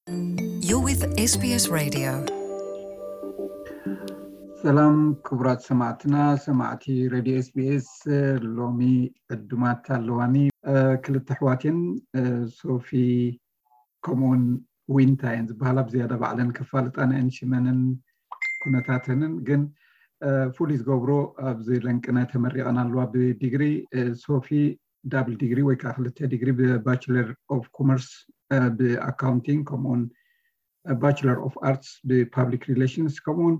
You're with S B S Radio. ሰላም ክቡራት ሰማዕትና፣ ሰማዕቲ ሬድዮ ኤስቢኤስ። ሎሚ ዕዱማት ኣለዋኒ። ክልተ ኣሕዋት እየን፣ ሶፊ ከምኡውን ዊንታ እየን ዝበሃላ። ብዝያዳ ባዕለን ከፋልጣና እየን ሽመንን ኩነታተንን። ግን ፍሉይ ዝገብሮ፣ ኣብዚ ለንቅነ ተመሪቐን ኣለዋ ብዲግሪ። ሶፊ ዳብል ዲግሪ ወይ ከዓ ክልተ ዲግሪ ብባችለር ኦፍ ኮመርስ ብኣካውንቲንግ፣ ከምኡውን ባችለር ኦፍ ኣርትስ ብፓብሊክ ሪሌሽንስ፣ ከምኡውን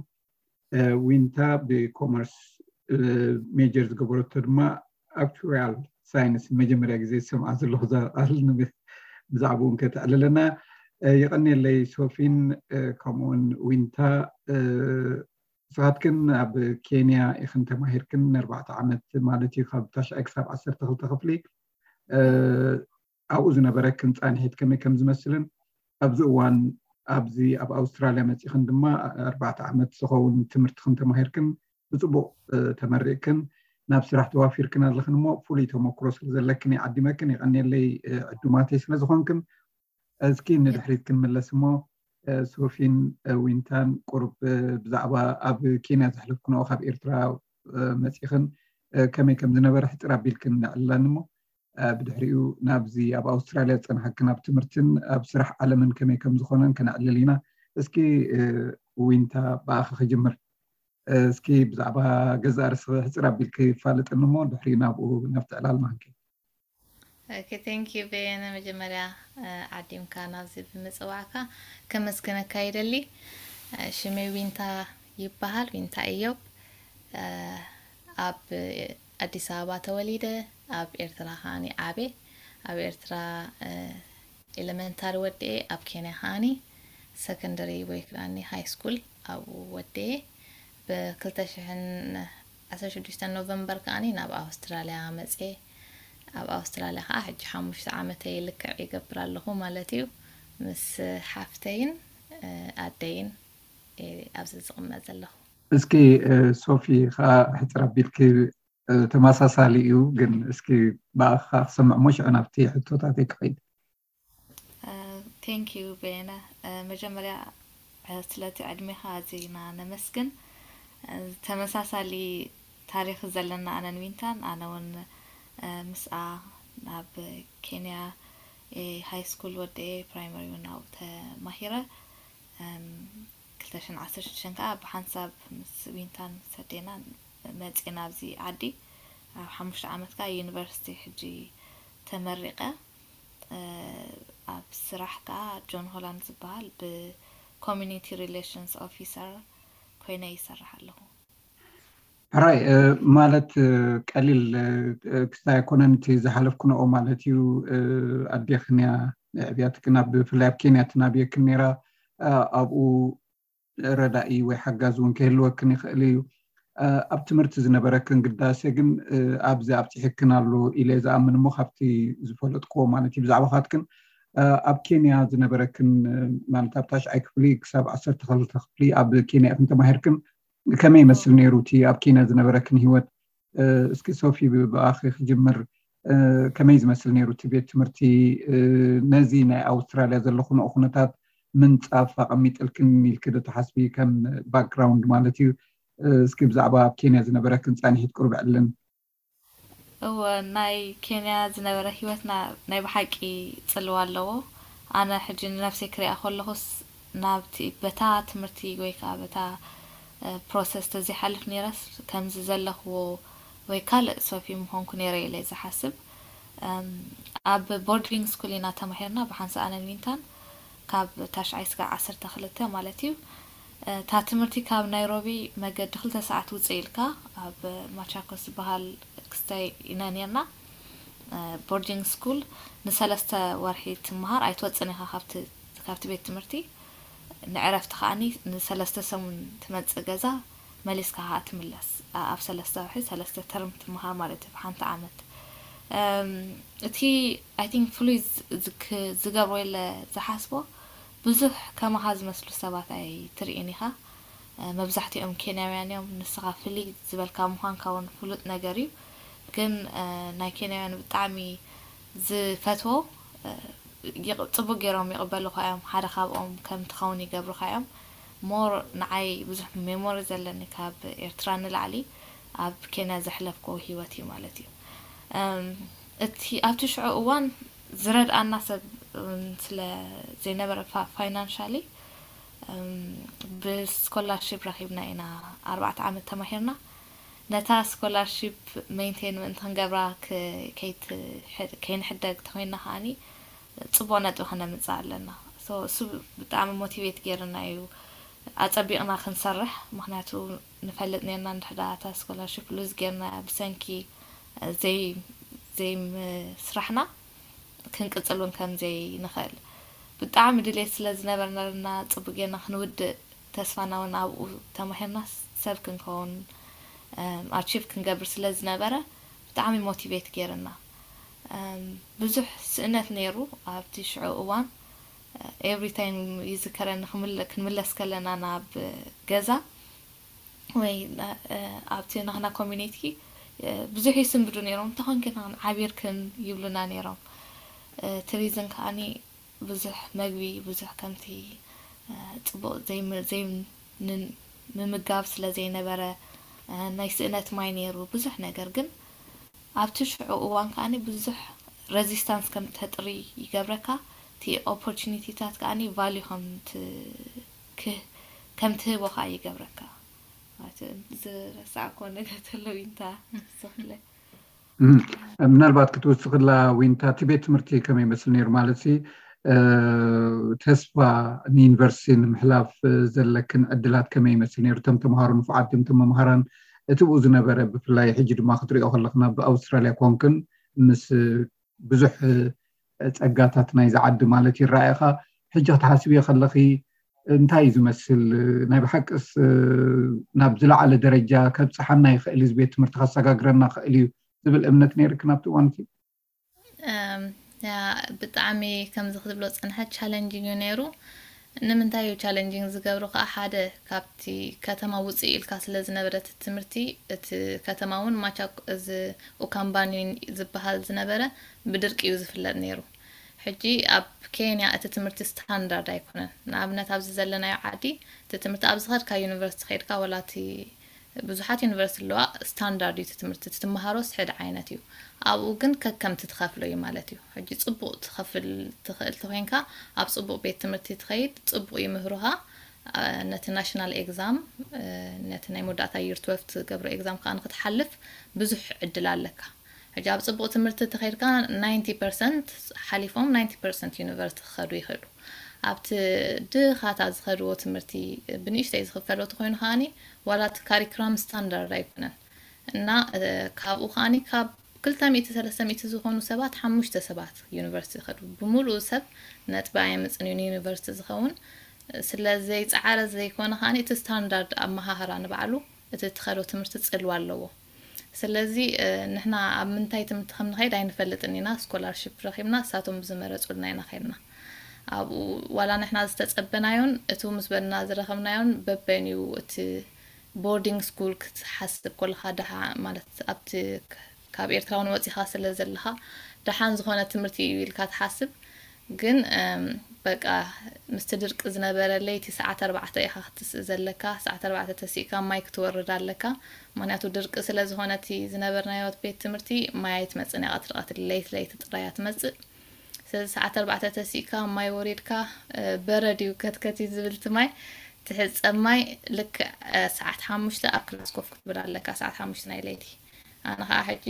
ዊንታ ብኮመርስ ሜጀር ዝገበረቶ ድማ ኣክቹሪያል ሳይንስ። መጀመርያ ግዜ ዝሰምዓ ዘለኹ እዛ ቃል፣ ብዛዕባኡ እውን ከተዕልለና። የቐንየለይ ሶፊን ከምኡውን ዊንታ። ንስኻትክን ኣብ ኬንያ ኢኽን ተማሂርክን ንኣርባዕተ ዓመት ማለት እዩ፣ ካብ ታሽዓይ ክሳብ ዓሰርተ ክልተ ክፍሊ። ኣብኡ ዝነበረክን ፃንሒት ከመይ ከም ዝመስልን፣ ኣብዚ እዋን ኣብዚ ኣብ ኣውስትራልያ መፂኽን ድማ ኣርባዕተ ዓመት ዝኸውን ትምህርትኽን ተማሂርክን ብፅቡቕ ተመሪቕክን ናብ ስራሕ ተዋፊርክን ኣለኽን እሞ፣ ፍሉይ ተመክሮ ስለ ዘለክን ይዓዲመክን። የቐንየለይ ዕዱማተይ ስለ ዝኾንክን። እስኪ ንድሕሪት ክንምለስ እሞ፣ ሶፊን ዊንታን ቁሩብ ብዛዕባ ኣብ ኬንያ ዘሕለፍክንኦ፣ ካብ ኤርትራ መፂኽን ከመይ ከም ዝነበረ ሕፅር ኣቢልክን ንዕልላኒ እሞ፣ ብድሕሪኡ ናብዚ ኣብ ኣውስትራልያ ዝፀንሓክን ኣብ ትምህርትን ኣብ ስራሕ ዓለምን ከመይ ከም ዝኾነን ከነዕልል ኢና። እስኪ ዊንታ፣ ብኣኺ ክጅምር። እስኪ ብዛዕባ ገዛእ ርእስኺ ሕፅር ኣቢልኪ ፋልጥኒ እሞ፣ ድሕሪኡ ናብኡ፣ ናብቲ ዕላል ማንኪ። ኦኬ፣ thank you በየነ፣ መጀመርያ ዓዲምካ ናብዚ ብምፅዋዕካ ከመስግነካ ይደሊ። ሽመይ ዊንታ ይበሃል፣ ዊንታ እዮብ። ኣብ ኣዲስ ኣበባ ተወሊደ፣ ኣብ ኤርትራ ከዓኒ ዓብየ። ኣብ ኤርትራ ኤለመንታሪ ወድኤ፣ ኣብ ኬንያ ከዓኒ ሰከንደሪ ወይ ከዓኒ ሃይ ስኩል ኣብኡ ወድኤ። ብክልተ ሽሕን ዓሰርተ ሽዱሽተ ኖቨምበር ከዓኒ ናብ ኣውስትራልያ መፅየ። ኣብ ኣውስትራልያ ከዓ ሕጂ ሓሙሽተ ዓመተይ ልክዕ ይገብር ኣለኹ ማለት እዩ። ምስ ሓፍተይን ኣደይን ኣብዚ ዝቕመጥ ዘለኹ። እስኪ ሶፊ ከዓ ሕፅር ኣቢልኪ፣ ተመሳሳሊ እዩ፣ ግን እስኪ ብኣኻ ክሰምዕ እሞ ሽዑ ናብቲ ሕቶታተይ ክኸይድ። Thank you በየነ። መጀመርያ ስለቲ ዕድሜኻ ኣዚና ነመስግን። ተመሳሳሊ ታሪኽ ዘለና ኣነን ዊንታን። ኣነ እውን ምስኣ ናብ ኬንያ ሃይ ስኩል ወድኤ፣ ፕራይመሪ እውን ኣብኡ ተማሂረ። ክልተ ሽሕን ዓሰርተ ሽዱሽተን ከዓ ብሓንሳብ ምስ ዊንታን ምስ ኣዴና መፂና ኣብዚ ዓዲ። ኣብ ሓሙሽተ ዓመት ከዓ ዩኒቨርሲቲ ሕጂ ተመሪቐ። ኣብ ስራሕ ከዓ ጆን ሆላንድ ዝበሃል ብኮሚኒቲ ሪሌሽንስ ኦፊሰር ኮይነ ይሰርሕ ኣለኹ። ሕራይ፣ ማለት ቀሊል ክስታይ ኣይኮነን እቲ ዝሓለፍክንኦ ማለት እዩ። ኣዴኽን እያ ንዕብያትክን፣ ኣብ ብፍላይ ኣብ ኬንያ ትናብየክን ነይራ። ኣብኡ ረዳኢ ወይ ሓጋዚ እውን ክህልወክን ይኽእል እዩ። ኣብ ትምህርቲ ዝነበረክን ግዳሴ ግን ኣብዚ ኣብፂሕክን ኣሎ ኢለ ዝኣምን እሞ፣ ካብቲ ዝፈለጥክዎ ማለት እዩ ብዛዕባኻትክን ኣብ ኬንያ ዝነበረክን ማለት ኣብ ታሽዓይ ክፍሊ ክሳብ ዓሰርተ ክልተ ክፍሊ ኣብ ኬንያ ኢኽን ተማሂርክን፣ ከመይ ይመስል ነይሩ እቲ ኣብ ኬንያ ዝነበረክን ህይወት? እስኪ ሶፊ ብኣኺ ክጅምር። ከመይ ዝመስል ነይሩ እቲ ቤት ትምህርቲ? ነዚ ናይ ኣውስትራልያ ዘለኹንኦ ኩነታት ምንፃፍ ኣቐሚጥልክን ኢልኪ ዶ ትሓስቢ? ከም ባክግራውንድ ማለት እዩ። እስኪ ብዛዕባ ኣብ ኬንያ ዝነበረክን ፃንሒት ቁሩብ ዕልን። እወ፣ ናይ ኬንያ ዝነበረ ህይወትና ናይ ብሓቂ ፅልዋ ኣለዎ። ኣነ ሕጂ ንነብሰይ ክሪኣ ከለኹስ ናብቲ በታ ትምህርቲ ወይ ከዓ በታ ፕሮሰስ ተዘይሓልፍ ነይረስ ከምዚ ዘለኽዎ ወይ ካልእ ሶፊ ምኾንኩ ነይረ ኢለ ዝሓስብ። ኣብ ቦርዲንግ ስኩል ኢና ተማሂርና ብሓንሳእ ኣነን ዊንታን ካብ ታሽዓይ ስጋዕ ዓሰርተ ክልተ ማለት እዩ። እታ ትምህርቲ ካብ ናይሮቢ መገዲ ክልተ ሰዓት ውፅእ ኢልካ ኣብ ማቻኮስ ዝበሃል ክስታይ ኢና ነርና። ቦርዲንግ ስኩል ንሰለስተ ወርሒ ትመሃር ኣይትወፅን ኢኻ ካብቲ ቤት ትምህርቲ። ንዕረፍቲ ከዓኒ ንሰለስተ ሰሙን ትመፅእ ገዛ መሊስካ ከዓ ትምለስ። ኣብ ሰለስተ ወርሒ ሰለስተ ተርም ትመሃር ማለት እዩ ብሓንቲ ዓመት። እቲ ኣይ ቲንክ ፍሉይ ዝገብሮ የለ ዝሓስቦ ብዙሕ ከማኻ ዝመስሉ ሰባት ኣይትርኢን ኢኻ። መብዛሕትኦም ኬንያውያን እዮም። ንስኻ ፍልይ ዝበልካ ምዃንካ እውን ፍሉጥ ነገር እዩ። ግን ናይ ኬንያውያን ብጣዕሚ ዝፈትዎ ይቕ- ጽቡቅ ገይሮም ይቕበሉኻ እዮም። ሓደ ካብኦም ከም ትኸውን ይገብሩኻ እዮም። ሞር ንዓይ ብዙሕ ሜሞሪ ዘለኒ ካብ ኤርትራ ንላዕሊ ኣብ ኬንያ ዘሕለፍኩዎ ህይወት እዩ ማለት እዩ። እም፣ እቲ ኣብቲ ሽዑ እዋን ዝረድኣና ሰብ እውን ስለ ዘይነበረ፣ ፋይናንሻሊ ብስኮላርሺፕ ረኺብና ኢና ኣርባዕተ ዓመት ተማሂርና። ነታ ስኮላርሺፕ ሜንቴን ምእንቲ ክንገብራ ክ- ከይትሕ- ከይንሕደግ ተኾይንና ከዓኒ ጽቡቕ ነጥቢ ከነምጽእ ኣለና። So እሱ ብጣዕሚ ሞቲቬት ገይርና እዩ ኣጸቢቕና ክንሰርሕ። ምኽንያቱ ንፈልጥ ነርና እንድሕዳ እታ ስኮላርሽፕ ሉዝ ገርና ብሰንኪ ዘይ ዘይምስራሕና ክንቅጽል እውን ከም ዘይንኽእል ብጣዕሚ ድሌት ስለ ዝነበርና ጽቡቅ ገርና ክንውድእ ተስፋና እውን ኣብኡ ተማሂርና ሰብ ክንከውን ኣቺቭ ክንገብር ስለ ዝነበረ ብጣዕሚ ሞቲቬት ገይርና። ብዙሕ ስእነት ነይሩ ኣብቲ ሽዑ እዋን። ኤቭሪ ታይም ይዝከረኒ ክንምለስ ከለና ናብ ገዛ ወይ ኣብቲ ናህና ኮሚኒቲ ብዙሕ ይስንብዱ ነይሮም። እንተኾንክን ዓቢርክን ይብሉና ነይሮም። እቲ ሪዝን ከዓኒ ብዙሕ መግቢ ብዙሕ ከምቲ ጽቡቕ ዘይምምጋብ ስለ ዘይነበረ ናይ ስእነት ማይ ነይሩ ብዙሕ ነገር። ግን ኣብቲ ሽዑ እዋን ከዓኒ ብዙሕ ረዚስታንስ ከም ተጥሪ ይገብረካ። እቲ ኦፖርቹኒቲታት ከዓኒ ቫልዩ ከም ትህቦ ከዓ ይገብረካ። ዝረሳዕኮ ነገር ተሎ ዊንታ ንስኽለ? ምናልባት ክትውስኽላ ዊንታ፣ እቲ ቤት ትምህርቲ ከመይ ይመስል ነይሩ? ማለት ተስፋ ንዩኒቨርሲቲ ንምሕላፍ ዘለክን ዕድላት ከመይ ይመስል ነይሩ? እቶም ተምሃሮ ንፉዓት ድም፣ እቶም መምሃራን እቲ ብኡ ዝነበረ፣ ብፍላይ ሕጂ ድማ ክትሪኦ ከለኽና ብኣውስትራልያ ኮንክን ምስ ብዙሕ ጸጋታት ናይዚ ዓዲ ማለት ይረኣየኻ። ሕጂ ክትሓስብዮ ከለኺ እንታይ እዩ ዝመስል? ናይ ብሓቅስ ናብ ዝለዓለ ደረጃ ከብጽሓና ይኽእል እዩ፣ ቤት ትምህርቲ ከሰጋግረና ይኽእል እዩ ዝብል እምነት ነይርክ ናብቲ እዋን እቲ? ብጣዕሚ ከምዚ ክትብሎ ጸንሐ ቻለንጂንግ እዩ ነይሩ። ንምንታይ እዩ ቻለንጂንግ ዝገብሮ ከዓ፣ ሓደ ካብቲ ከተማ ውፅእ ኢልካ ስለ ዝነበረ እቲ ትምህርቲ፣ እቲ ከተማ እውን ማቻ እዚ ኡካምባኒ ዝበሃል ዝነበረ ብድርቂ እዩ ዝፍለጥ ነይሩ። ሕጂ ኣብ ኬንያ እቲ ትምህርቲ ስታንዳርድ ኣይኮነን። ንኣብነት ኣብዚ ዘለናዮ ዓዲ እቲ ትምህርቲ ኣብ ዝኸድካ ዩኒቨርሲቲ ከይድካ፣ ወላ እቲ ብዙሓት ዩኒቨርሲቲ ኣለዋ፣ ስታንዳርድ እዩ እቲ ትምህርቲ፣ እቲ ትመሃሮስ ሕድ ዓይነት እዩ። ኣብኡ ግን ከከምቲ ትኸፍሎ እዩ ማለት እዩ። ሕጂ ጽቡቕ ትኸፍል ትኽእል ተኾይንካ፣ ኣብ ጽቡቕ ቤት ትምህርቲ ትኸይድ፣ ጽቡቕ ይምህሩኻ። ነቲ ናሽናል ኤግዛም፣ ነቲ ናይ መወዳእታ ዩር ትወልፍ ትገብሮ ኤግዛም ከዓ ንክትሓልፍ ብዙሕ ዕድል ኣለካ። ሕጂ ኣብ ጽቡቕ ትምህርቲ ተኸይድካ ናይንቲ ፐርሰንት ሓሊፎም ናይንቲ ፐርሰንት ዩኒቨርሲቲ ክኸዱ ይኽእሉ። ኣብቲ ድኻታ ዝኸድዎ ትምህርቲ ብንእሽተይ ዝኽፈሎ ተኾይኑ ከዓኒ ዋላ እቲ ካሪክራም ስታንዳርድ ኣይኮነን እና ካብኡ ከዓኒ ካብ ክልተ ሚእቲ ሰለስተ ሚእቲ ዝኾኑ ሰባት ሓሙሽተ ሰባት ዩኒቨርሲቲ ይኸዱ። ብምሉኡ ሰብ ነጥቢ ኣየምፅን እዩ ንዩኒቨርሲቲ ዝኸውን። ስለ ዘይፀዓረ ዘይኮነ ከዓኒ እቲ ስታንዳርድ ኣመሃህራ ንባዕሉ እቲ ትኸዶ ትምህርቲ ፅልዋ ኣለዎ። ስለዚ ንሕና ኣብ ምንታይ ትምህርቲ ከም ንኸይድ ኣይንፈልጥን ኢና። ስኮላርሽፕ ረኺብና እሳቶም ብዝመረፁልና ኢና ኸይድና። ኣብኡ ዋላ ንሕና ዝተፀበናዮን እቱ ምስ በልና ዝረኸብናዮን በበይኑ እዩ። እቲ ቦርዲንግ ስኩል ክትሓስብ ከለኻ ድሓ ማለት ኣብቲ ካብ ኤርትራ እውን ወፂኻ ስለ ዘለኻ ደሓን ዝኾነ ትምህርቲ እዩ ኢልካ ትሓስብ። ግን በቃ ምስቲ ድርቂ ዝነበረ ለይቲ ሰዓት ኣርባዕተ ኢኻ ክትስእ ዘለካ። ሰዓት ኣርባዕተ ተሲእካ ማይ ክትወርድ ኣለካ። ምክንያቱ ድርቂ ስለ ዝኾነ እቲ ዝነበርናዮ ቤት ትምህርቲ ማይ ኣይትመጽእን እያ። ቀትሪ ቀትሪ ለይቲ ለይቲ ጥራይ እያ ትመጽእ። ስለዚ ሰዓት ኣርባዕተ ተሲእካ ማይ ወሪድካ በረድ እዩ ከትከት እዩ ዝብል እቲ ማይ ትሕጸብ ማይ ልክዕ ሰዓት ሓሙሽተ ኣብ ክላስ ኮፍ ክትብል ኣለካ። ሰዓት ሓሙሽተ ናይ ለይቲ ኣነ ከዓ ሕጂ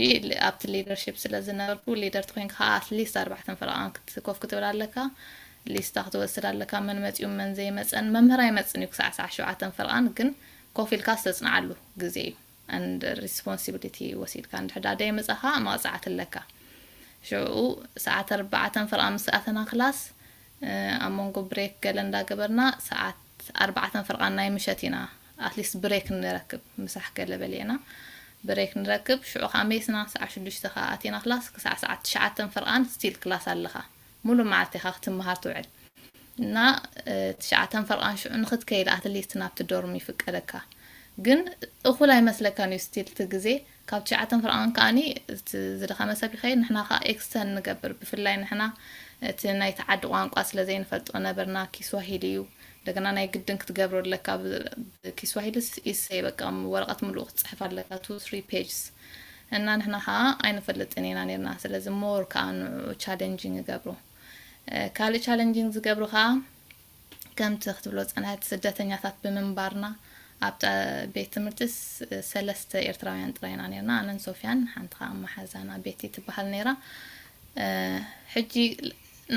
ኣብቲ ሊደርሽፕ ስለ ዝነበርኩ ሊደር ተኮይንካ ከዓ ኣትሊስት ኣርባዕተን ፈረቃን ኮፍ ክትብል ኣለካ። ሊስታ ክትወስድ ኣለካ መን መፅኡ መን ዘይመፀን። መምህር ኣይመፅን እዩ ክሳዕ ሰዓት ሸውዓተን ፈረቃን ግን ኮፍ ኢልካ ዝተፅንዓሉ ግዜ እዩ። And responsibility ወሲድካ እንድሕዳ ደይመፃኻ መቕፃዕቲ ኣለካ። ሽዑ ሰዓት ኣርባዕተን ፈረቃን ምስ ኣተና ክላስ ኣብ መንጎ ብሬክ ገለ እንዳገበርና ሰዓት ኣርባዕተን ፈረቃን ናይ ምሸት ኢና ኣትሊስት ብሬክ ንረክብ። ምሳሕ ገለ በሊዕና ብሬክ ንረክብ። ሽዑ ከዓ መይስና ሰዓት ሽዱሽተ ከዓ ኣቲና ክላስ ክሳዕ ሰዓት ትሽዓተን ፈረቃን ስቲል ክላስ ኣለኻ። ሙሉ መዓልቲ ኢኻ ክትመሃር ትውዕል እና ትሽዓተን ፈረቃን ሽዑ ንክትከይድ ኣትሊስት ናብቲ ዶርም ይፍቀደካ። ግን እኹል ኣይመስለካን እዩ ስቲል እቲ ግዜ ካብ ትሽዓተን ፈረቃን ከዓኒ ዝደኸመ ሰብ ይኸይድ። ንሕና ከዓ ኤክስተን ንገብር። ብፍላይ ንሕና እቲ ናይቲ ዓዲ ቋንቋ ስለ ዘይንፈልጦ ነበርና። ኪስዋሂሊ እዩ፣ እንደገና ናይ ግድን ክትገብሮ ኣለካ። ኪስዋሂሊ ኢሰይ በቃ ወረቐት ምሉእ ክትፅሕፍ ኣለካ፣ two three pages። እና ንሕና ከዓ ኣይንፈልጥን ኢና ነርና። ስለዚ more ከዓ ንኡ challenging ይገብሩ። ካልእ challenging ዝገብሩ ከዓ ከምቲ ክትብሎ ዝፀንሐት ስደተኛታት ብምንባርና ኣብ ቤት ትምህርትስ ሰለስተ ኤርትራውያን ጥራይና ነርና። ኣነን ሶፊያን ሓንቲ ከዓ መሓዛና ቤቲ ትበሃል ነይራ። ሕጂ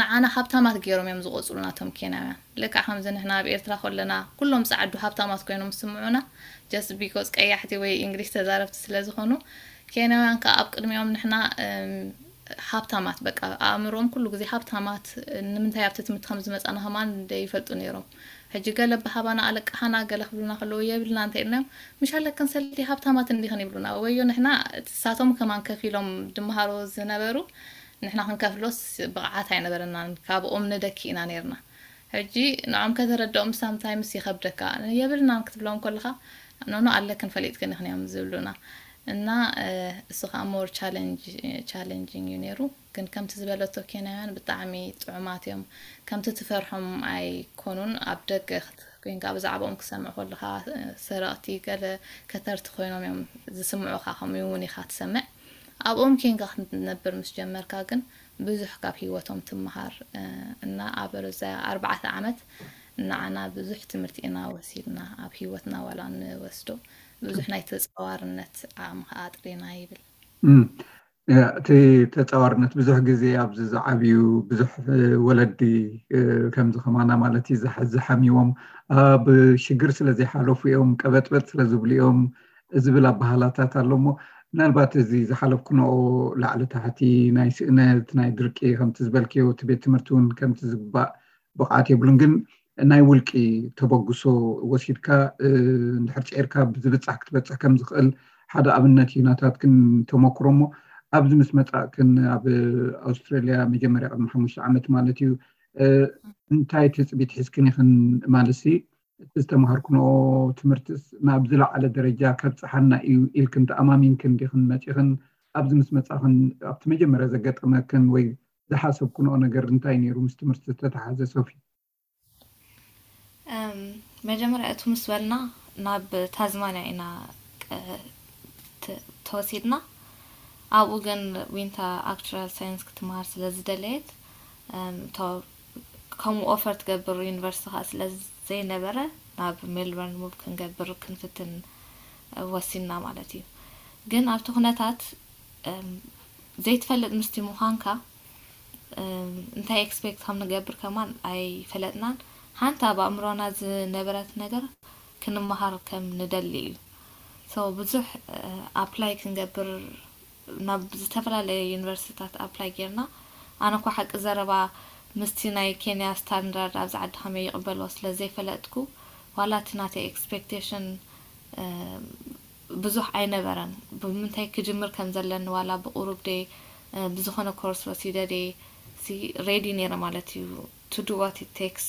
ንዓና ሃብታማት ገይሮም እዮም ዝቆፅሉ ናቶም ኬንያውያን። ልክዕ ከምዚ ንሕና ኣብ ኤርትራ ከለና ኩሎም ፃዕዱ ሃብታማት ኮይኖም ዝስምዑና just because ቀያሕቲ ወይ እንግሊሽ ተዛረብቲ ስለ ዝኾኑ፣ ኬንያውያን ከዓ ኣብ ቅድሚኦም ንሕና ሃብታማት በቃ ኣእምሮም ኩሉ ግዜ ሃብታማት። ንምንታይ ኣብቲ ትምህርቲ ከም ዝመፃና ከማን ይፈልጡ ነይሮም። ሕጂ ገለ ብሃባና ኣለቃሓና ገለ ክብሉና ከለዉ የብልና እንተ ኢልናዮም፣ ምሽ ኣለክን ሰለቲ ሃብታማት እንዲኽን ይብሉና። ወዮ ንሕና እሳቶም ከማን ከፊሎም ድመሃሩ ዝነበሩ ንሕና ክንከፍሎስ ብቕዓት ኣይነበረናን፣ ካብኦም ንደኪ ኢና ነርና። ሕጂ ንዖም ከተረድኦም sometimes ይኸብደካ። የብልናን ክትብሎም ከለኻ ኖኖ ኣለክን ፈሊጥክን ኢኽን እዮም ዝብሉና። እና እሱ ከዓ more challenging እዩ ነይሩ። ግን ከምቲ ዝበለቶ ኬንያውያን ብጣዕሚ ጥዑማት እዮም። ከምቲ ትፈርሖም ኣይኮኑን። ኣብ ደገ ኮይንካ ብዛዕባኦም ክሰምዕ ከለኻ ሰረቕቲ ገለ ከተርቲ ኮይኖም እዮም ዝስምዑኻ። ከምኡ እውን ኢኻ ትሰምዕ። ኣብኦም ኬንካ ክትነብር ምስ ጀመርካ ግን ብዙሕ ካብ ህይወቶም ትምሃር። እና ኣብ ርዛ ኣርባዕተ ዓመት ንዓና ብዙሕ ትምህርቲ ኢና ወሲድና። ኣብ ህይወትና ዋላ ንወስዶ ብዙሕ ናይ ተፃዋርነት ዓቕሚ ከዓ ኣጥሪና ይብል። እቲ ተፃዋርነት ብዙሕ ግዜ ኣብዚ ዝዓብዩ ብዙሕ ወለዲ ከምዚ ከማና ማለት እዩ ዝሓሚዎም ኣብ ሽግር ስለ ዘይሓለፉ እዮም፣ ቀበጥበጥ ስለ ዝብሉ እዮም ዝብል ኣባህላታት ኣሎ። እሞ ምናልባት እዚ ዝሓለፍኩንኦ ላዕሊ ታሕቲ ናይ ስእነት ናይ ድርቂ ከምቲ ዝበልክዮ እቲ ቤት ትምህርቲ እውን ከምቲ ዝግባእ ብቕዓት የብሉን። ግን ናይ ውልቂ ተበግሶ ወሲድካ እንድሕር ፂዒርካ ብዝብፃሕ ክትበፅሕ ከም ዝኽእል ሓደ ኣብነት እዩ ናታትክን ተመክሮ። እሞ ኣብዚ ምስ መፃእክን ኣብ ኣውስትራልያ መጀመርያ ቅድሚ ሓሙሽተ ዓመት ማለት እዩ እንታይ ትፅቢት ሒዝክን ኢኽን? ማለት እቲ ዝተምሃርክንኦ ትምህርትስ ናብ ዝለዓለ ደረጃ ከብፅሓና እዩ ኢልክን ተኣማሚንክን ዲኽን መፂኽን? ኣብዚ ምስ መፃእኽን ኣብቲ መጀመርያ ዘጋጠመክን ወይ ዝሓሰብክንኦ ነገር እንታይ ነይሩ ምስ ትምህርቲ ዝተተሓዘ ሶፊ? መጀመርያ እቱ ምስ በልና ናብ ታዝማንያ ኢና ተወሲድና። ኣብኡ ግን ዊንታ actuarial science ክትመሃር ስለ ዝደለየት ከምኡ offer ትገብር ዩኒቨርሲቲ ከዓ ስለ ዘይነበረ ናብ ሜልበርን ሙቭ ክንገብር ክንፍትን ወሲንና ማለት እዩ። ግን ኣብቲ ኩነታት ዘይትፈልጥ ምስቲ ምዃንካ እንታይ expect ከም ንገብር ከማን ኣይፈለጥናን። ሓንቲ ኣብ ኣእምሮና ዝነበረት ነገር ክንመሃር ከም ንደሊ እዩ። So ብዙሕ apply ክንገብር ናብ ዝተፈላለየ ዩኒቨርሲቲታት apply ጌርና። ኣነ እኳ ሓቂ ዘረባ ምስቲ ናይ ኬንያ ስታንዳርድ ኣብዚ ዓዲ ከመይ ይቕበልዎ ስለ ዘይፈለጥኩ ዋላ እቲ ናተይ expectation ብዙሕ ኣይነበረን። ብምንታይ ክጅምር ከም ዘለኒ ዋላ ብቁሩብ ደ ብዝኾነ ኮርስ ወሲደ ደ ሬዲ ነይረ ማለት እዩ to do what it takes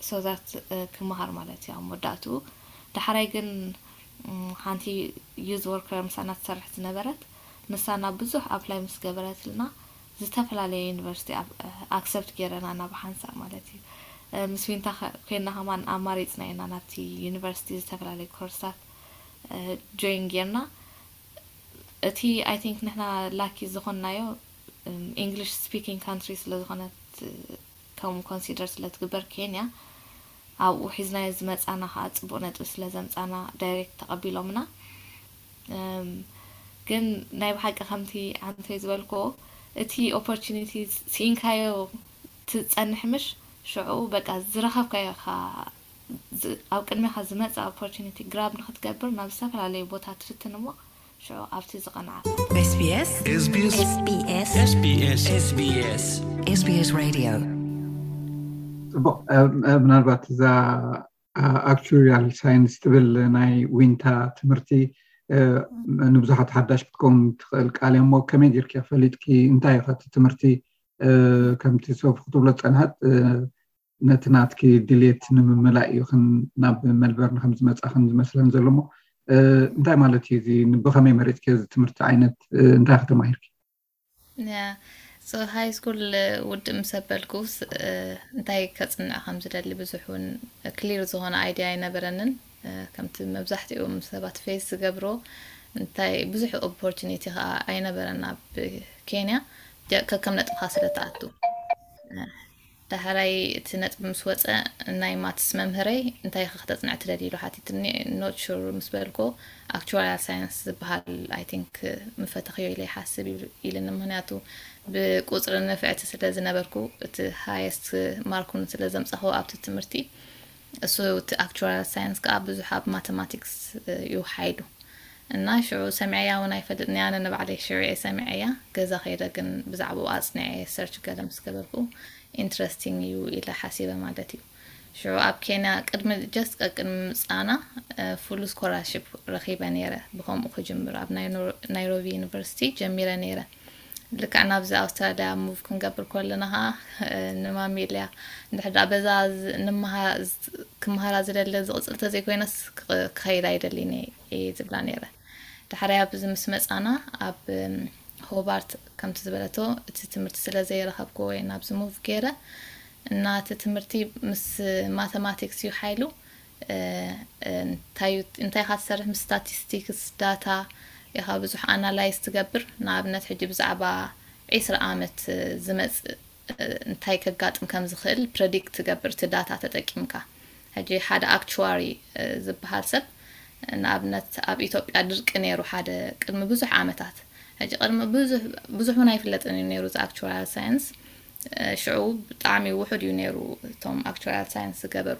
so that ክመሃር ማለት እዩ ኣብ መወዳእትኡ። ዳሕራይ ግን ሓንቲ youth worker ምሳና ትሰርሕ ዝነበረት ንሳ ናብ ብዙሕ apply ምስ ገበረትልና ዝተፈላለየ ዩኒቨርሲቲ accept ገይረና ናብ ሓንሳእ ማለት እዩ። ምስ ዊንታ ኮይና ከማን ኣማሪፅና ኢና ናብቲ ዩኒቨርሲቲ ዝተፈላለየ ኮርስታት join ጌርና። እቲ I think ንሕና lucky ዝኾንናዮ English speaking country ስለ ዝኾነት ከምኡ consider ስለ ትግበር ኬንያ ኣብኡ ሒዝናዮ ዝመፃና ከዓ ፅቡቅ ነጥቢ ስለ ዘምፃና direct ተቐቢሎምና። ግን ናይ ብሓቂ ከምቲ ዓንተይ ዝበልክዎ እቲ opportunity ስኢንካዮ ትፀንሕ ምሽ ሽዑ በቃ ዝረኸብካዮ ኢኻ ኣብ ቅድሜኻ ዝመፅእ opportunity grab ንክትገብር ናብ ዝተፈላለዩ ቦታ ትፍትን እሞ ሽዑ ኣብቲ ዝቐንዓካ። SBS SBS SBS SBS SBS Radio ፅቡቕ። ምናልባት እዛ actuarial science ትብል ናይ ዊንታ ትምህርቲ ንብዙሓት ሓዳሽ ክትከውን ትኽእል ቃል እሞ ከመይ ጌርኪ ፈሊጥኪ? እንታይ ኢኻ እቲ ትምህርቲ ከምቲ ሶፊ ክትብሎ ዝፀንሐት ነቲ ናትኪ ድሌት ንምምላእ እዩ ናብ መልበርን ከም ዝመፃኽን ዝመስለን ዘሎ እሞ እንታይ ማለት እዩ እዚ? ብኸመይ መሪፅኪ እዚ ትምህርቲ ዓይነት እንታይ ከተማሂርኪ? So high school ውድእ ምስ ኣበልኩስ እንታይ ከጽንዕ ከም ዝደሊ ብዙሕ እውን ክሊር ዝኾነ ኣይድያ ኣይነበረንን። ከምቲ መብዛሕትኦም ሰባት ፌስ ዝገብሮ እንታይ ብዙሕ ኦፖርቹኒቲ ከዓ ኣይነበረን ኣብ ኬንያ ከከም ነጥብኻ ስለ ትኣቱ። ዳሕራይ እቲ ነጥቢ ምስ ወፀ ናይ ማትስ መምህረይ እንታይ ኢኻ ክተፅንዕ ትደሊ ኢሉ ሓቲትኒ። ኖት ሹር ምስ በልኮ ኣክቹዋርያል ሳይንስ ዝበሃል ኣይ ቲንክ ምፈተኽዮ ኢለ ይሓስብ ኢልኒ። ምክንያቱ ብቁፅሪ ንፍዕቲ ስለ ዝነበርኩ እቲ ሃየስት ማርኩን ስለ ዘምፃኽዎ ኣብቲ ትምህርቲ እሱ እቲ ኣክቹዋርያል ሳይንስ ከዓ ብዙሕ ኣብ ማተማቲክስ እዩ ሓይሉ። እና ሽዑ ሰሚዐያ እውን ኣይፈልጥን እያ። ኣነ ንባዕለይ ሽዑ እየ ሰሚዐያ። ገዛ ከይደ ግን ብዛዕባኡ ኣፅኒዐ ሰርች ገለ ምስ ገበርኩ ኢንትረስቲንግ እዩ ኢለ ሓሲበ ማለት እዩ። ሽዑ ኣብ ኬንያ ቅድሚ ጀስት ቀቅድሚ ምፃና ፉል ስኮላርሽፕ ረኺበ ነይረ። ብከምኡ ክጅምር ኣብ ናይሮቢ ዩኒቨርሲቲ ጀሚረ ነይረ። ልክዕ ናብዚ ኣውስትራልያ ሙቭ ክንገብር ከለና ከዓ ንማሚ ኢለያ እንድሕር ደኣ በዛ ክመሃራ ዝደለ ዝቕፅል ተዘይኮይነስ ክኸይድ ኣይደልን እየ ዝብላ ነይረ። ዳሕራይ ኣብዚ ምስ መፃና ኣብ ሆባርት ከምቲ ዝበለቶ እቲ ትምህርቲ ስለ ዘይረኸብኩዎ እየ ናብዚ ሙቭ ገይረ። እና እቲ ትምህርቲ ምስ ማተማቲክስ እዩ ሓይሉ። እንታይ ኢኻ ትሰርሕ? ምስ ስታቲስቲክስ ዳታ ኢኻ ብዙሕ ኣናላይዝ ትገብር። ንኣብነት ሕጂ ብዛዕባ ዒስራ ዓመት ዝመፅእ እንታይ ከጋጥም ከም ዝኽእል ፕረዲክት ትገብር እቲ ዳታ ተጠቂምካ። ሕጂ ሓደ ኣክቹዋሪ ዝበሃል ሰብ ንኣብነት ኣብ ኢትዮጵያ ድርቂ ነይሩ ሓደ ቅድሚ ብዙሕ ዓመታት። ሕጂ ቅድሚ ብዙሕ እውን ኣይፍለጥን እዩ ነይሩ እዚ ኣክቹዋርያል ሳይንስ። ሽዑ ብጣዕሚ ውሑድ እዩ ነይሩ እቶም ኣክቹዋርያል ሳይንስ ዝገበሩ።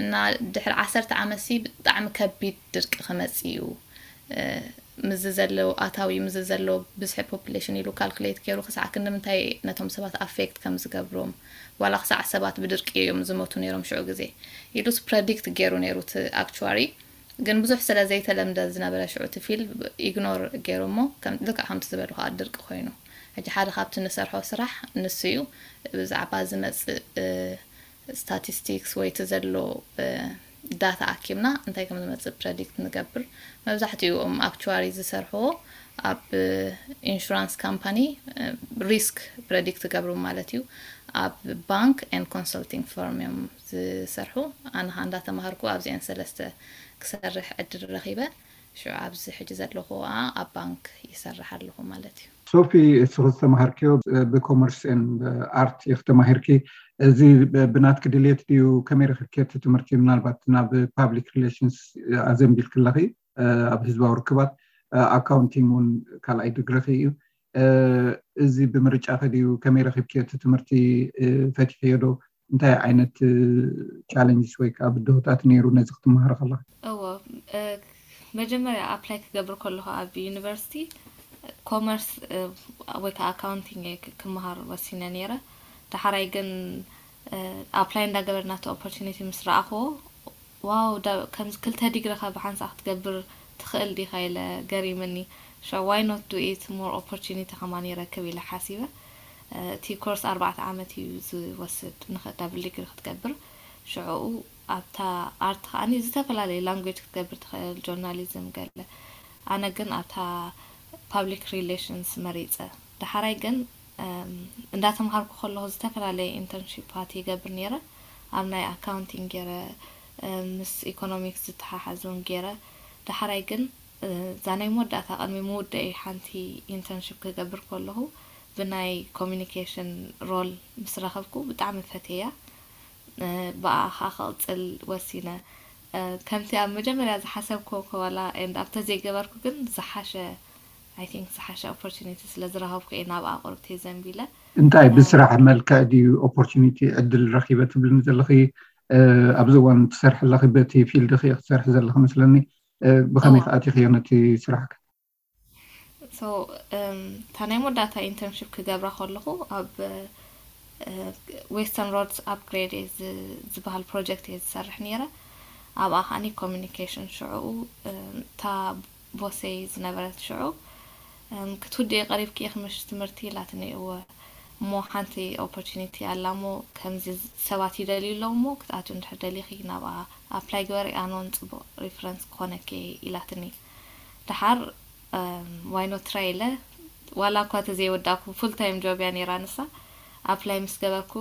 እና ድሕሪ ዓሰርተ ዓመት ሲ ብጣዕሚ ከቢድ ድርቂ ክመፅእ እዩ፣ ምዚ ዘሎ ኣታዊ ምዚ ዘሎ ብዝሒ ፖፕሌሽን ኢሉ ካልኩሌት ገይሩ ክሳዕ ክንዲ ምንታይ ነቶም ሰባት ኣፌክት ከም ዝገብሮም፣ ዋላ ክሳዕ ሰባት ብድርቂ እዮም ዝሞቱ ነይሮም ሽዑ ግዜ ኢሉስ ፕረዲክት ገይሩ ነይሩ እቲ ኣክቹዋሪ። ግን ብዙሕ ስለ ዘይተለምደ ዝነበረ ሽዑ እቲ ፊልድ ኢግኖር ገይሮሞ ልክዕ ከምቲ ዝበልኻ ድርቂ ኮይኑ። ሕጂ ሓደ ካብቲ ንሰርሖ ስራሕ ንሱ እዩ። ብዛዕባ ዝመፅእ ስታቲስቲክስ ወይ እቲ ዘሎ ዳታ ኣኪብና እንታይ ከም ዝመፅእ ፕረዲክት ንገብር። መብዛሕትኡ እም ኣክቹዋሪ ዝሰርሕዎ ኣብ ኢንሹራንስ ካምፓኒ ሪስክ ፕረዲክት ትገብሩ ማለት እዩ። ኣብ ባንክ ኤን ኮንሰልቲንግ ፈርም እዮም ዝሰርሑ። ኣነ ኸዓ እንዳተማሃርኩ ኣብዚአን ሰለስተ ክሰርሕ ዕድል ረኺበ። ሽዑ ኣብዚ ሕጂ ዘለኹ ከዓ ኣብ ባንክ ይሰርሕ ኣለኹ ማለት እዩ። ሶፊ፣ እስኺ ዝተምሃርክዮ ብኮመርስ ኤንድ ኣርት ኢኺ ተማሂርኪ። እዚ ብናትኪ ድሌት ድዩ? ከመይ ረኺብክዮ እቲ ትምህርቲ? ምናልባት ናብ ፓብሊክ ሪሌሽንስ ኣዘንቢልኪ ኣለኺ፣ ኣብ ህዝባዊ ርክባት፣ ኣካውንቲንግ እውን ካልኣይ ድግሪኺ እዩ። እዚ ብምርጫኺ ድዩ? ከመይ ረኺብክዮ እቲ ትምህርቲ? ፈቲሕዮ ዶ? እንታይ ዓይነት ቻለንጅስ ወይ ከዓ ብድሆታት ነይሩ ነዚ ክትመሃሪ ከለኺ? እዎ፣ መጀመርያ ኣፕላይ ክገብር ከለኹ ኣብ ዩኒቨርሲቲ ኮመርስ ወይ ከዓ ኣካውንቲንግ እየ ክመሃር ወሲነ ነይረ። ዳሕራይ ግን ኣፕላይ እንዳገበርና እቲ ኦፖርቹኒቲ ምስ ረኣኽዎ ዋው ከምዚ ክልተ ዲግሪኻ ብሓንሳእ ክትገብር ትኽእል ዲኻ ኢለ ገሪምኒ። ሸ why not do it more opportunity ከማን ይረክብ ኢለ ሓሲበ። እቲ ኮርስ ኣርባዕተ ዓመት እዩ ዝወስድ ንዳብል ዲግሪ ክትገብር። ሽዕኡ ኣብታ ኣርት ከዓኒ ዝተፈላለዩ ላንጉጅ ክትገብር ትኽእል፣ ጆርናሊዝም ገለ። ኣነ ግን ኣብታ ፓብሊክ ሪሌሽንስ መሪፀ። ዳሓራይ ግን እንዳተምሃርኩ ከለኹ ዝተፈላለየ ኢንተርንሺፓት ይገብር ነይረ። ኣብ ናይ ኣካውንቲንግ ገይረ፣ ምስ ኢኮኖሚክስ ዝተሓሓዝ እውን ገይረ። ዳሓራይ ግን እዛ ናይ መወዳእታ ቅድሚ ምውደአይ ሓንቲ ኢንተርንሺፕ ክገብር ከለኹ ብናይ ኮሚኒኬሽን ሮል ምስ ረኸብኩ ብጣዕሚ ፈትየያ። ብኣኣ ከዓ ክቕፅል ወሲነ። ከምቲ ኣብ መጀመርያ ዝሓሰብክዎ ኮላ and ኣብ ተዘይገበርኩ ግን ዝሓሸ I think ዝሓሸ ኦፖርቹኒቲ ስለ ዝረኸብኩ እየ ናብኣ ቁርብቲ ዘንቢለ። እንታይ ብስራሕ መልክዕ ድዩ ኦፖርቹኒቲ ዕድል ረኺበ ትብልኒ ዘለኺ? ኣብዚ እዋን ትሰርሒ ኣለኺ፣ በቲ ፊልድኺ ክትሰርሒ ዘለኺ መስለኒ። ብኸመይ ከኣቲኽዮ ነቲ ስራሕኪ? So እታ ናይ መወዳእታ ኢንተርንሺፕ ክገብራ ከለኹ ኣብ ዌስተርን ሮድስ ኣፕግሬድ ዝበሃል ፕሮጀክት እየ ዝሰርሕ ነይረ። ኣብኣ ከዓኒ ኮሚኒኬሽን ሽዕኡ እታ ቦሰይ ዝነበረት ሽዑ ክትውድኢ ቀሪብኪ ኢኺ ምሽ ትምህርቲ ኢላትኒ። እወ እሞ ሓንቲ ኦፖርቹኒቲ ኣላ እሞ ከምዚ ሰባት ይደልዩ ኣለዉ እሞ ክትኣትዊ እንድሕር ደሊኺ ናብኣ ኣፕላይ ግበሪ፣ ኣነ እውን ፅቡቕ ሪፈረንስ ክኾነኪ ኢላትኒ። ደሓር why not try ኢለ ዋላ እኳ ተዘይወዳእኩ ፉል ታይም ጆብ እያ ነይራ ንሳ። ኣፕላይ ምስ ገበርኩ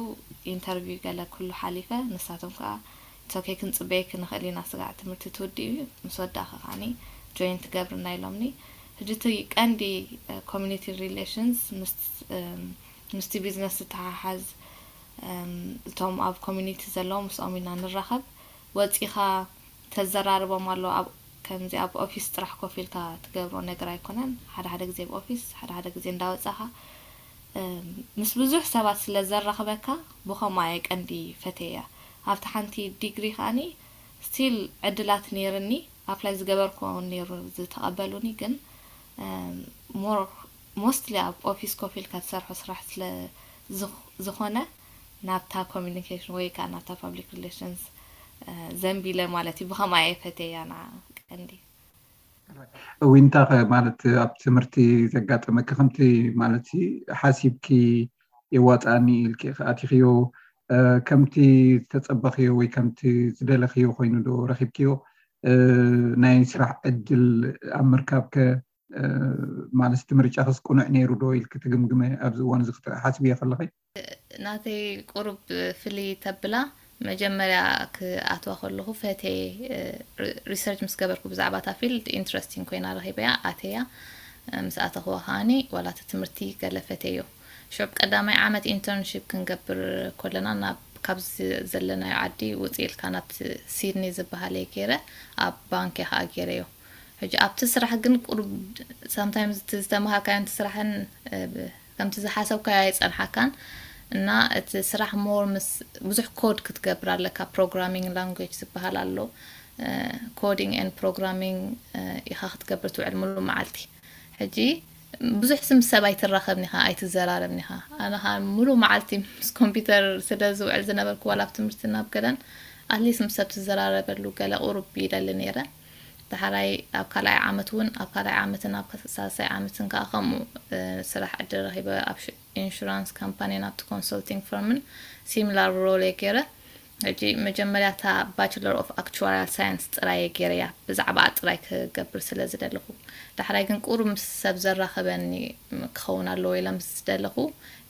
ኢንተርቪው ገለ ኩሉ ሓሊፈ። ንሳቶም ከዓ ኦኬ ክንፅበየኪ ንኽእል ኢና ስጋዕ ትምህርቲ ትውድእ እዩ ምስ ወዳእኺ ከዓኒ ጆይን ትገብርና ኢሎምኒ። ሕጂ እቲ ቀንዲ ኮሚኒቲ ሪሌሽንስ ምስቲ ቢዝነስ ዝተሓሓዝ እቶም ኣብ ኮሚኒቲ ዘለዉ ምስኦም ኢና ንራኸብ። ወፂኻ ተዘራርቦም ኣሎ። ኣብ ከምዚ ኣብ ኦፊስ ጥራሕ ኮፍ ኢልካ ትገብሮ ነገር ኣይኮነን። ሓደ ሓደ ግዜ ኣብ ኦፊስ፣ ሓደ ሓደ ግዜ እንዳወፃኻ ምስ ብዙሕ ሰባት ስለ ዘራኽበካ ብኸምኡ እየ ቀንዲ ፈትየያ። ኣብቲ ሓንቲ ዲግሪ ከዓኒ ስቲል ዕድላት ነይርኒ፣ ኣፕላይ ዝገበርኩ እውን ነይሩ ዝተቐበሉኒ፣ ግን ሞር ሞስትሊ ኣብ ኦፊስ ኮፍ ኢልካ ትሰርሖ ስራሕ ስለ ዝኾነ ናብታ ኮሚኒኬሽን ወይ ከዓ ናብታ ፓብሊክ ሪሌሽንስ ዘንቢለ ማለት እዩ። ብኸምኣ እየ ፈትየያ ንዓ ቀንዲ። ዊንታ ኸ ማለት ኣብ ትምህርቲ ዘጋጠመኪ ከምቲ ማለት ሓሲብኪ የዋፅኣኒ ኢልኪ ኣቲኽዮ ከምቲ ዝተፀበኽዮ ወይ ከምቲ ዝደለኽዮ ኮይኑ ዶ ረኺብክዮ? ናይ ስራሕ ዕድል ኣብ ምርካብ ከ ማለት እቲ ምርጫ ክስ ቅኑዕ ነይሩ ዶ ኢልኪ ትግምግመ ኣብዚ እዋን እዚ ክትሓስብዮ ከለኺ? ናተይ ቁሩብ ፍልይ ተብላ መጀመርያ ክኣትዋ ከለኹ ፈትየ ሪሰርች ምስ ገበርኩ ብዛዕባ እታ ፊልድ ኢንትረስቲንግ ኮይና ረኺበያ ኣተያ ምስ ኣተኽዋ ከዓኒ ዋላ እቲ ትምህርቲ ገለ ፈትየዮ። ሽዑ ቀዳማይ ዓመት ኢንተርንሺፕ ክንገብር ኮለና ናብ ካብ ዘለናዮ ዓዲ ውፅእ ኢልካ ናብቲ ሲድኒ ዝበሃል እየ ገይረ ኣብ ባንክ እየ ከዓ ገይረዮ። ሕጂ ኣብቲ ስራሕ ግን ቁሩብ ሳምታይምስ እቲ ዝተምሃርካዮን እቲ ስራሕን ከምቲ ዝሓሰብካዮ ኣይፀንሓካን እና እቲ ስራሕ ሞር ምስ ብዙሕ ኮድ ክትገብር ኣለካ። ፕሮግራሚንግ ላንጉጅ ዝበሃል ኣሎ። ኮዲንግ ኤንድ ፕሮግራሚንግ ኢኻ ክትገብር ትውዕል ሙሉእ መዓልቲ። ሕጂ ብዙሕ ምስ ሰብ ኣይትራኸብን ኢኻ ኣይትዘራረብን ኢኻ። ኣነ ኸዓ ሙሉእ መዓልቲ ምስ ኮምፒውተር ስለ ዝውዕል ዝነበርኩ ዋላ ኣብ ትምህርቲ ናብ ገለን ኣትሊስት ምስ ሰብ ትዘራረበሉ ገለ ቁሩብ ይደሊ ነይረ። ዳሕራይ ኣብ ካልኣይ ዓመት እውን ኣብ ካልኣይ ዓመትን ኣብ ሳልሳይ ዓመትን ከዓ ከምኡ ስራሕ ዕድል ረኺበ ኣብ ኢንሹራንስ ካምፓኒን ኣብቲ ኮንሰልቲንግ ፈርምን ሲሚላር ሮል እየ ገይረ። ሕጂ መጀመርያ እታ ባችለር ኦፍ ኣክቹዋሪያል ሳይንስ ጥራይ እየ ገይረያ ብዛዕባኣ ጥራይ ክገብር ስለ ዝደለኹ። ዳሕራይ ግን ቁሩብ ምስ ሰብ ዘራኽበኒ ክኸውን ኣለዎ ኢለ ምስ ዝደለኹ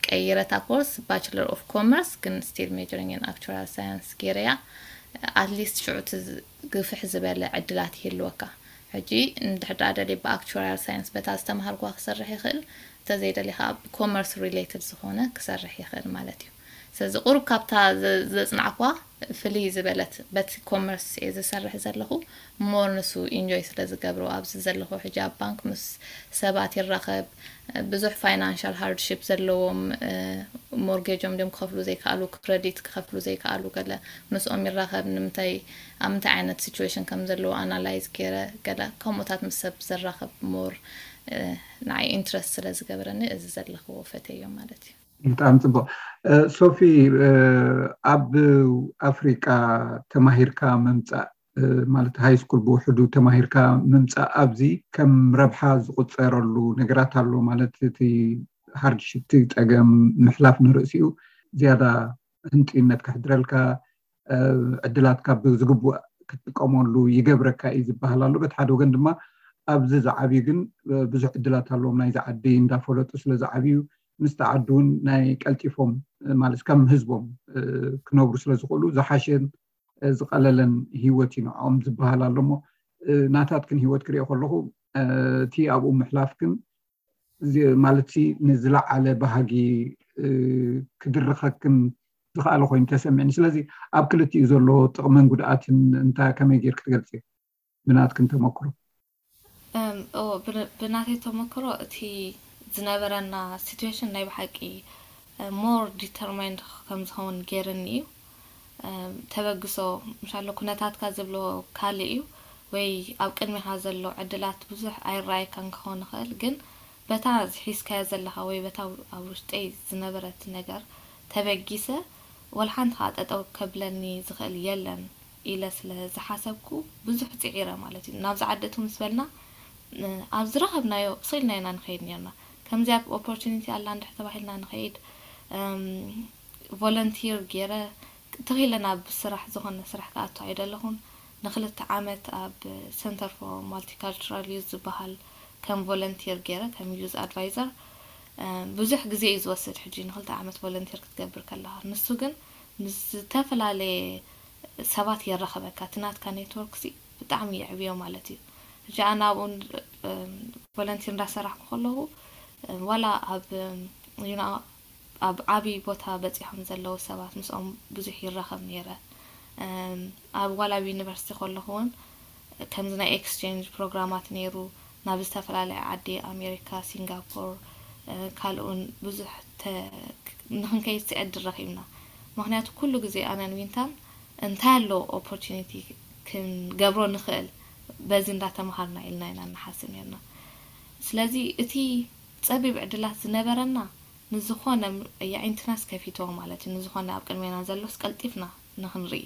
ቀይረ እታ ኮርስ ባችለር ኦፍ ኮመርስ ግን ስቲል ሜጀሪንግ ኢን ኣክቹዋሪያል ሳይንስ ገይረያ። ኣትሊስት ሽዑ እቲ ግፍሕ ዝበለ ዕድላት ይህልወካ። ሕጂ እንድሕር ደኣ ደልየ ብኣክቹዋሪያል ሳይንስ በታ ዝተምሃርኩዋ ክሰርሕ ይኽእል፣ እንተዘይደልየ ከዓ ብኮመርስ ሪሌትድ ዝኾነ ክሰርሕ ይኽእል ማለት እዩ። ስለዚ ቁሩብ ካብታ ዘፅናዕኩዋ ፍልይ ዝበለት በቲ ኮመርስ እየ ዝሰርሕ ዘለኹ። ሞር ንሱ ኢንጆይ ስለ ዝገብሮ ኣብዚ ዘለኹ ሕጂ ኣብ ባንክ ምስ ሰባት ይራኸብ። ብዙሕ ፋይናንሻል ሃርድሺፕ ዘለዎም ሞርጌጆም ድዮም ክኸፍሉ ዘይከኣሉ፣ ክረዲት ክኸፍሉ ዘይከኣሉ ገለ ምስኦም ይራኸብ። ንምንታይ ኣብ ምንታይ ዓይነት ሲቹዌሽን ከም ዘለዉ ኣናላይዝ ገይረ ገለ ከምኡታት ምስ ሰብ ዘራኸብ ሞር ንዓይ ኢንትረስት ስለ ዝገብረኒ እዚ ዘለኽዎ ፈተዮ ማለት እዩ። ብጣዕሚ ፅቡቅ ሶፊ። ኣብ ኣፍሪቃ ተማሂርካ ምምፃእ ማለት ሃይ ስኩል ብውሕዱ ተማሂርካ ምምፃእ ኣብዚ ከም ረብሓ ዝቁፀረሉ ነገራት ኣሎ ማለት እቲ ሃርድሽፕ እቲ ፀገም ምሕላፍ ንርእሲኡ ዝያዳ ህንጥዩነት ከሕድረልካ ዕድላትካ ብዝግቡእ ክትጥቀመሉ ይገብረካ እዩ ዝበሃል ኣሎ። በቲ ሓደ ወገን ድማ ኣብዚ ዝዓብዩ ግን ብዙሕ ዕድላት ኣለዎም ናይዚ ዓዲ እንዳፈለጡ ስለ ዝዓብዩ ምስቲ ዓዲ እውን ናይ ቀልጢፎም ማለት ከም ህዝቦም ክነብሩ ስለ ዝኽእሉ ዝሓሸን ዝቐለለን ህይወት እዩ ንዕኦም ዝበሃል ኣሎ። እሞ ናታትክን ህይወት ክሪኦ ከለኹ እቲ ኣብኡ ምሕላፍክን ማለት ንዝለዓለ ባህጊ ክድርኸክን ዝኸኣለ ኮይኑ ተሰሚዕኒ። ስለዚ ኣብ ክልቲኡ ዘሎ ጥቕምን ጉድኣትን እንታይ ከመይ ጌርክ ትገልፂ? ብናትክን ተመክሮ። ብናተይ ተመክሮ እቲ ዝነበረና ሲትዌሽን ናይ ብሓቂ ሞር ዲተርማይንድ ከም ዝኸውን ገይርኒ እዩ። ተበግሶ ምሻሎ ኩነታትካ ዝብሎ ካልእ እዩ ወይ ኣብ ቅድሚኻ ዘሎ ዕድላት ብዙሕ ኣይረኣየካን ክኸውን ይኽእል፣ ግን በታ ዝሒዝካዮ ዘለኻ ወይ በታ ኣብ ውሽጠይ ዝነበረት ነገር ተበጊሰ ወላ ሓንቲ ከዓ ጠጠው ከብለኒ ዝኽእል የለን ኢለ ስለ ዝሓሰብኩ ብዙሕ ፅዒረ ማለት እዩ። ናብዚ ዓዲ እቱ ምስ በልና ኣብ ዝረኸብናዮ ስኢልና ኢና ንኸይድ ነርና። ከምዚኣ ኦፖርቹኒቲ ኣላ እንድሕ ተባሂልና ንኸይድ ቮለንቲር ገይረ ተኺለ ናብ ስራሕ ዝኾነ ስራሕ ክኣቱ ኣይደለኹን። ንክልተ ዓመት ኣብ Center for Multicultural Youth ዝበሃል ከም ቮለንቲር ገይረ ከም ዩዝ ኣድቫይዘር ብዙሕ ግዜ እዩ ዝወስድ። ሕጂ ንክልተ ዓመት ቮለንቲር ክትገብር ከለኻ፣ ንሱ ግን ምስ ዝተፈላለየ ሰባት የራኸበካ። እቲ ናትካ ኔትወርክ ሲ ብጣዕሚ የዕብዮ ማለት እዩ። ሕጂ ኣነ ኣብኡ ቮለንቲር እንዳሰራሕኩ ከለኹ፣ ዋላ ኣብ ዩና ኣብ ዓብዪ ቦታ በፂሖም ዘለዉ ሰባት ምስኦም ብዙሕ ይራኸብ ነይረ። ኣብ ዋላ ኣብ ዩኒቨርሲቲ ከለኹ እውን ከምዚ ናይ ኤክስቼንጅ ፕሮግራማት ነይሩ። ናብ ዝተፈላለየ ዓዲ፣ ኣሜሪካ፣ ሲንጋፖር፣ ካልኡን ብዙሕ ንክንከይድ ዕድል ረኺብና። ምክንያቱ ኩሉ ግዜ ኣነን ዊንታን እንታይ ኣሎ ኦፖርቹኒቲ ክንገብሮ ንኽእል፣ በዚ እንዳተምሃርና ኢልና ኢና ንሓስብ ነርና። ስለዚ እቲ ጸቢብ ዕድላት ዝነበረና ንዝኾነ የዒንትናስ ከፊትዎ ማለት እዩ። ንዝኾነ ኣብ ቅድሜና ዘሎስ ቀልጢፍና ንኽንርኢ።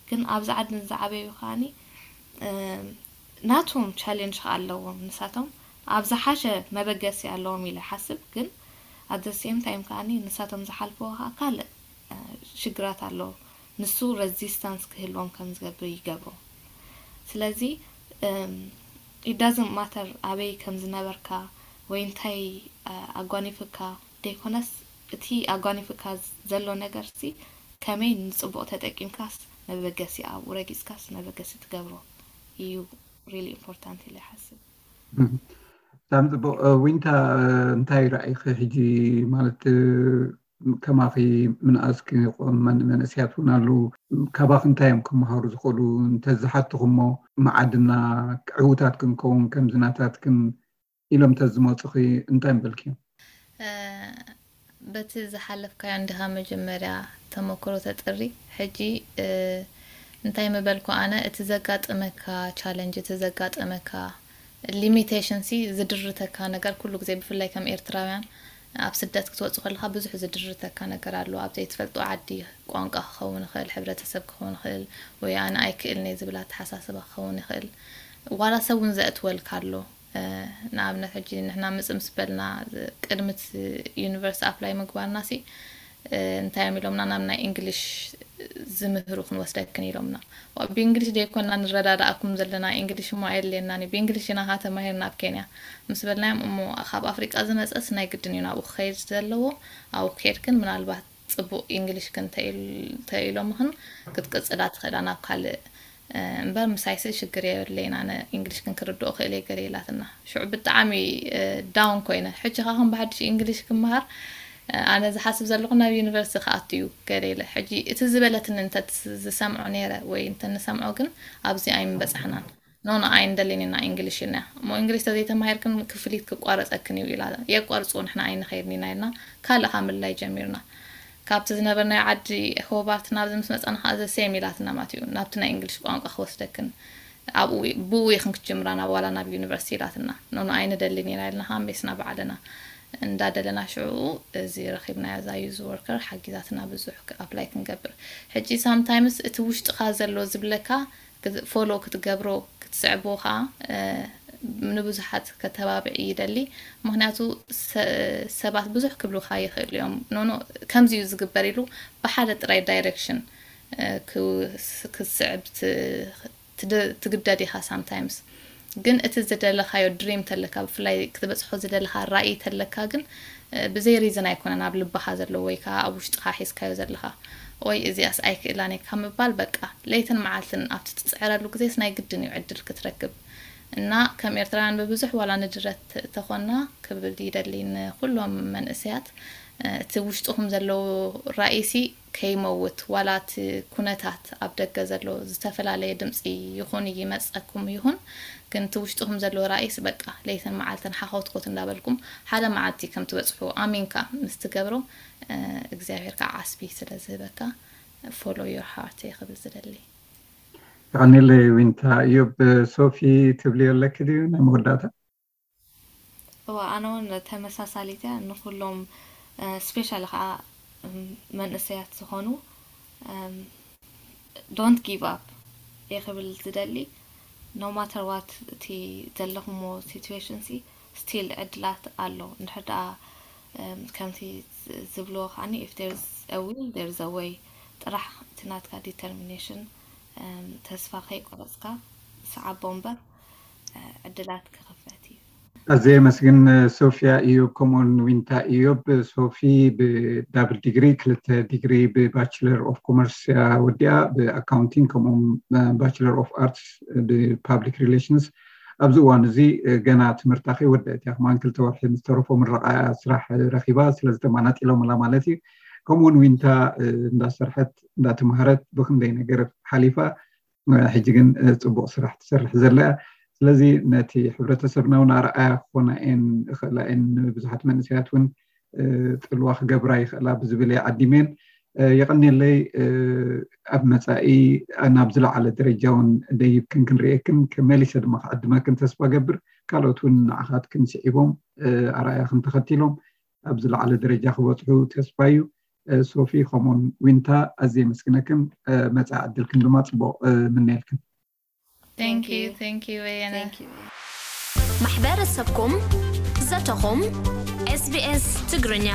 ግን ኣብዚ ዓድን ዝዓበዩ ከዓኒ ናቶም ቻሌንጅ ከ ኣለዎም። ንሳቶም ኣብ ዝሓሸ መበገሲ ኣለዎም ኢለ ሓስብ። ግን ኣት ሴም ታይም ከዓኒ ንሳቶም ዝሓልፍዎ ከዓ ካልእ ሽግራት ኣለዎ። ንሱ ረዚስታንስ ክህልዎም ከም ዝገብር ይገብሮ። ስለዚ ኢዳዝን ማተር ኣበይ ከም ዝነበርካ ወይ እንታይ ኣጓኒፍካ ዘይኮነስ፣ እቲ ኣጓኒፍካ ዘሎ ነገር ሲ ከመይ ንጽቡቕ ተጠቂምካስ መበገሲ ኣብኡ ረጊጽካስ መበገሲ ትገብሮ እዩ ሪሊ ኢምፖርታንት ኢለ ይሓስብ። ብጣዕሚ ጽቡቕ። ዊንታ፣ እንታይ ራእይኺ ሕጂ? ማለት ከማኺ ምንኣስ ክቆም መንእሰያት እውን ኣለዉ። ካባኺ እንታይ እዮም ክመሃሩ ዝኽእሉ? እንተዝሓትኹሞ መዓድና ዕዉታት ክንከውን ከምዚ ናታትክን ኢሎም ተዝመፁኺ እንታይ ምበልክዮም? በቲ ዝሓለፍካዮ እንዲኻ መጀመርያ ተመክሮ ተጥሪ። ሕጂ እንታይ ምበልኩ ኣነ፣ እቲ ዘጋጥመካ ቻለንጅ፣ እቲ ዘጋጥመካ ሊሚቴሽን ሲ ዝድርተካ ነገር ኩሉ ግዜ፣ ብፍላይ ከም ኤርትራውያን ኣብ ስደት ክትወጽእ ከለኻ ብዙሕ ዝድርተካ ነገር ኣሎ። ኣብ ዘይትፈልጦ ዓዲ ቋንቋ ክኸውን ይኽእል፣ ሕብረተሰብ ክኸውን ይኽእል፣ ወይ ኣነ ኣይክእልን እየ ዝብል ኣተሓሳስባ ክኸውን ይኽእል። ዋላ ሰብ እውን ዘእትወልካ ኣሎ። ንኣብነት ሕጂ ንሕና ምጽእ ምስ በልና ቅድሚ እቲ ዩኒቨርሲቲ ኣፕላይ ምግባርና ሲ እንታይ እዮም ኢሎምና፣ ናብ ናይ ኢንግሊሽ ዝምህሩ ክንወስደክን ኢሎምና። ብእንግሊሽ ደይኮና ንረዳዳኣኩም ዘለና፣ ኢንግሊሽ እሞ ኣየድልየናን እዩ፣ ብእንግሊሽ ኢና ካ ተማሂርና ኣብ ኬንያ ምስ በልናዮም፣ እሞ ካብ ኣፍሪቃ ዝመጸስ ናይ ግድን እዩ ናብኡ ክኸይድ ዘለዎ። ኣብኡ ክሄድክን ምናልባት ጽቡቕ ኢንግሊሽክን ተኢሎምኽን ክትቅጽላ ትኽእላ ናብ ካልእ እምበር ምሳይሲ ሽግር የብለይን፣ ኣነ ኢንግሊሽክን ክርድኦ ክእል እየ ገለ ኢላትና። ሽዑ ብጣዕሚ ዳውን ኮይነ፣ ሕጂ ካ ከም ብሓድሽ ኢንግሊሽ ክመሃር ኣነ ዝሓስብ ዘለኹ ናብ ዩኒቨርሲቲ ክኣቱ እዩ ገለ ኢለ። ሕጂ እቲ ዝበለትኒ እንተ ዝሰምዖ ነይረ ወይ እንተ ንሰምዖ ግን ኣብዚ ኣይምበጻሕናን። ኖ፣ ንኣይ እንደሌኒ ኢና ኢንግሊሽ ኢልና። እሞ ኢንግሊሽ ተዘይተማሂርክን ክፍሊት ክቋረጸክን እዩ ኢላ። የቋርጽዎ፣ ንሕና ኣይንኸይድን ኢና ኢልና ካልእ ካብ ምልላይ ጀሚርና። ካብቲ ዝነበርናዮ ዓዲ ሆባርት ናብዚ ምስ መጻና ከኣ ዘ ሴም ኢላትና ማለት እዩ። ናብቲ ናይ ኢንግሊሽ ቋንቋ ክወስደክን ኣብኡ ብኡ ኢኽን ክትጅምራ ናብ ዋላ ናብ ዩኒቨርሲቲ ኢላትና። ኖ፣ ንኣይ ንደሊን ኢና ኢልና ከኣ ሜስና ባዕልና እንዳደለና ሽዑ እዚ ረኺብናዮ እዛ ዩዝ ወርከር ሓጊዛትና ብዙሕ ኣፕላይ ክንገብር። ሕጂ ሳምታይምስ እቲ ውሽጥኻ ዘሎ ዝብለካ ፎሎ ክትገብሮ ክትስዕቦ ከዓ ንብዙሓት ከተባብዕ ይደሊ። ምክንያቱ ሰባት ብዙሕ ክብሉካ ይኽእሉ እዮም። ኖኖ ከምዚ እዩ ዝግበር ኢሉ ብሓደ ጥራይ ዳይሬክሽን ክትስዕብ ትግደድ ኢኻ ሳምታይምስ። ግን እቲ ዝደለኻዮ ድሪም ተለካ፣ ብፍላይ ክትበፅሖ ዝደለኻ ራእይ ተለካ ግን ብዘይ ሪዝን ኣይኮነን ኣብ ልብኻ ዘሎ ወይ ከዓ ኣብ ውሽጥኻ ሒዝካዮ ዘለኻ። ወይ እዚኣስ ኣይክእላን እየ ካብ ምባል በቃ ለይትን መዓልትን ኣብቲ ትፅዕረሉ ግዜስ ናይ ግድን እዩ ዕድል ክትረክብ። እና ከም ኤርትራውያን ብብዙሕ ዋላ ንድረት ተኾና ክብል ይደሊ ንኩሎም መንእሰያት እቲ ውሽጥኹም ዘለዎ ራእይሲ ከይመውት ዋላ እቲ ኩነታት ኣብ ደገ ዘሎ ዝተፈላለየ ድምፂ ይኹን ይመፀኩም ይኹን ግን እቲ ውሽጥኹም ዘሎ ራእይስ በቃ ለይትን መዓልትን ሓኾትኮት እንዳበልኩም ሓደ መዓልቲ ከም ትበፅሑ ኣሚንካ ምስ ትገብሮ እግዚኣብሔር ከዓ ዓስቢ ስለ ዝህበካ follow your heart እየ ክብል ዝደሊ። የቐኒለይ ዊንታ። እዮብ፣ ሶፊ ትብልዮ ኣለኪ ድዩ ናይ መወዳእታ? እዋ ኣነ እውን ተመሳሳሊት እያ ንኩሎም ስፔሻሊ ከዓ መንእሰያት ዝኾኑ don't give up እየ ክብል ዝደሊ። No matter what እቲ ዘለኹሞ situation ሲ still ዕድላት ኣሎ። እንድሕር ደኣ ከምቲ ዝብልዎ ከዓኒ if there's a will there's a way፣ ጥራሕ እቲ ናትካ determination ተስፋ ከይቆረፅካ ሰዓቦ እምበር ዕድላት ክኽፈት እዩ። ኣዘየ መስግን። ሶፊያ ኢዮብ ከምኡውን ዊንታ ኢዮብ። ሶፊ ብዳብል ዲግሪ ክልተ ዲግሪ ብ Bachelor of Commerce እያ ወዲኣ፣ ብ Accounting ከምኡውን Bachelor of Arts ብ Public Relations። ኣብዚ እዋን እዚ ገና ትምህርታ ከይወደአት እያ፣ ከማን ክልተ ወርሒ ምስ ተረፎ ምረቓ እያ ስራሕ ረኺባ፣ ስለዚ ተማናጢሎምላ ማለት እዩ። ከምኡውን ዊንታ እንዳሰርሐት እንዳተምሃረት ብክንደይ ነገር ሓሊፋ ሕጂ ግን ጽቡቕ ስራሕ ትሰርሕ ዘላ እያ። ስለዚ ነቲ ሕብረተሰብና እውን ኣርኣያ ክኾና እየን ይኽእላ እየን። ብዙሓት መንእሰያት እውን ጽልዋ ክገብራ ይኽእላ ብዝብል እየ ዓዲመን። የቐንየለይ። ኣብ መጻኢ ናብ ዝለዓለ ደረጃ እውን ደይብክን ክንርእየክን፣ መሊሰ ድማ ክዕድመክን ተስፋ ገብር። ካልኦት እውን ንዓኻትክን ስዒቦም ኣርኣያኽን ተኸቲሎም ኣብ ዝለዓለ ደረጃ ክበጽሑ ተስፋ እዩ። ሶፊ ከምኡን ዊንታ ኣዝየ የመስግነክን፣ መጻኢ ዕድልክን ድማ ጽቡቕ ምነየልክን። Thank you, thank you በየነ። ማሕበረሰብኩም ዘተኹም ኤስቢኤስ ትግርኛ